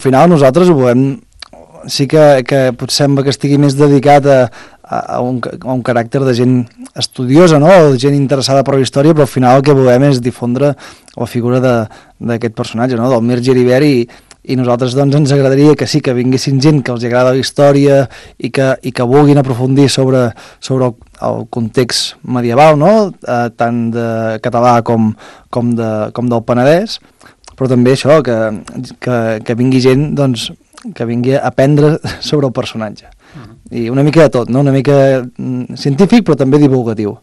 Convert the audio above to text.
Al final nosaltres ho volem, sí que potser sembla que estigui més dedicat a un caràcter de gent estudiosa, no? O de gent interessada per la història, però al final el que volem és difondre la figura d'aquest personatge, no? Del Mir Geribert, i nosaltres doncs ens agradaria que sí, que vinguessin gent que els agrada la història i que vulguin aprofundir sobre el context medieval, no? Tant de català com del Penedès, però també això, que vingui gent doncs, que vingui a aprendre sobre el personatge. I una mica de tot, no? Una mica científic però també divulgatiu.